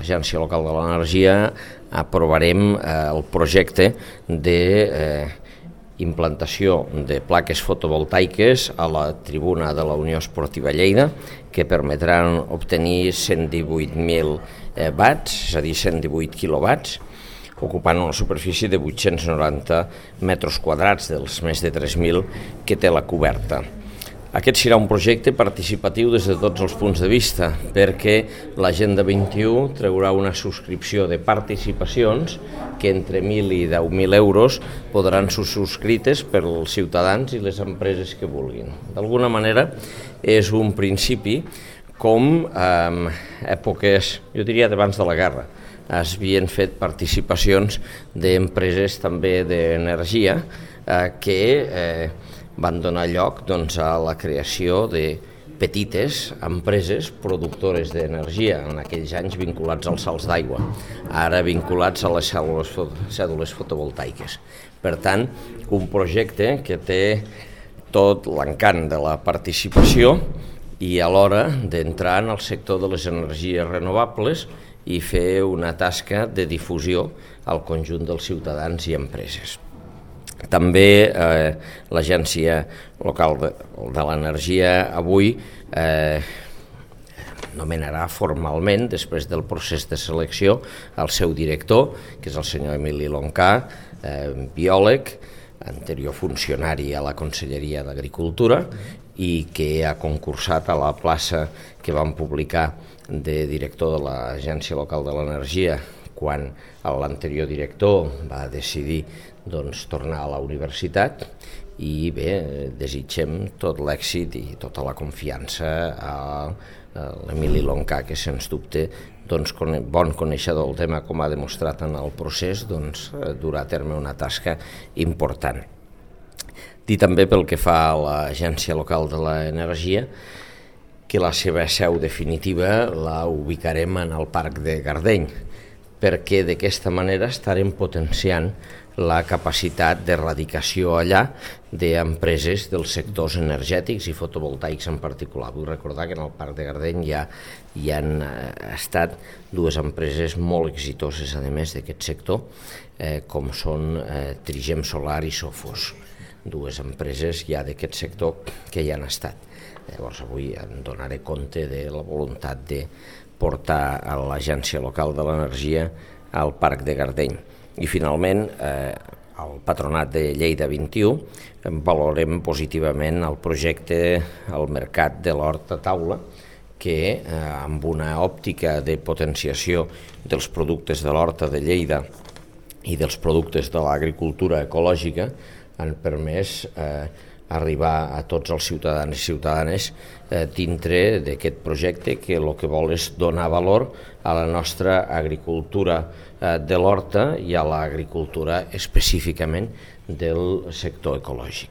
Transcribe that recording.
l'Agència Local de l'Energia aprovarem el projecte d'implantació de plaques fotovoltaiques a la tribuna de la Unió Esportiva Lleida, que permetran obtenir 118.000 watts, és a dir, 118 quilowatts, ocupant una superfície de 890 metres quadrats dels més de 3.000 que té la coberta. Aquest serà un projecte participatiu des de tots els punts de vista, perquè l'Agenda 21 treurà una subscripció de participacions que entre 1.000 i 10.000 euros podran ser subscrites pels ciutadans i les empreses que vulguin. D'alguna manera és un principi com en èpoques, jo diria d'abans de la guerra, es havien fet participacions d'empreses també d'energia que van donar lloc a la creació de petites empreses productores d'energia, en aquells anys vinculats als salts d'aigua, ara vinculats a les cèl·lules fotovoltaiques. Per tant, un projecte que té tot l'encant de la participació i alhora d'entrar en el sector de les energies renovables i fer una tasca de difusió al conjunt dels ciutadans i empreses. També l'Agència Local de l'Energia avui nomenarà formalment, després del procés de selecció, el seu director, que és el senyor Emili Loncà, biòleg, anterior funcionari a la Conselleria d'Agricultura i que ha concursat a la plaça que vam publicar de director de l'Agència Local de l'Energia quan l'anterior director va decidir tornar a la universitat i bé, desitgem tot l'èxit i tota la confiança a l'Emili Loncà, que sens dubte, bon coneixedor del tema com ha demostrat en el procés, durà a terme una tasca important. Dir també pel que fa a l'Agència Local de l'Energia que la seva seu definitiva la ubicarem en el Parc de Gardeny, perquè d'aquesta manera estarem potenciant la capacitat d'erradicació allà d'empreses dels sectors energètics i fotovoltaics en particular. Vull recordar que en el Parc de Gardeny hi han estat dues empreses molt exitoses, a més d'aquest sector, com són Trigem Solar i Sofos, dues empreses ja d'aquest sector que hi han estat. Llavors avui en donaré compte de la voluntat de portar a l'Agència Local de l'Energia al Parc de Gardeny. I finalment, el Patronat de Lleida 21 valorem positivament el projecte al mercat de l'hort a taula, que amb una òptica de potenciació dels productes de l'horta de Lleida i dels productes de l'agricultura ecològica han permès arribar a tots els ciutadans i ciutadanes dintre d'aquest projecte que el que vol és donar valor a la nostra agricultura de l'horta i a l'agricultura específicament del sector ecològic.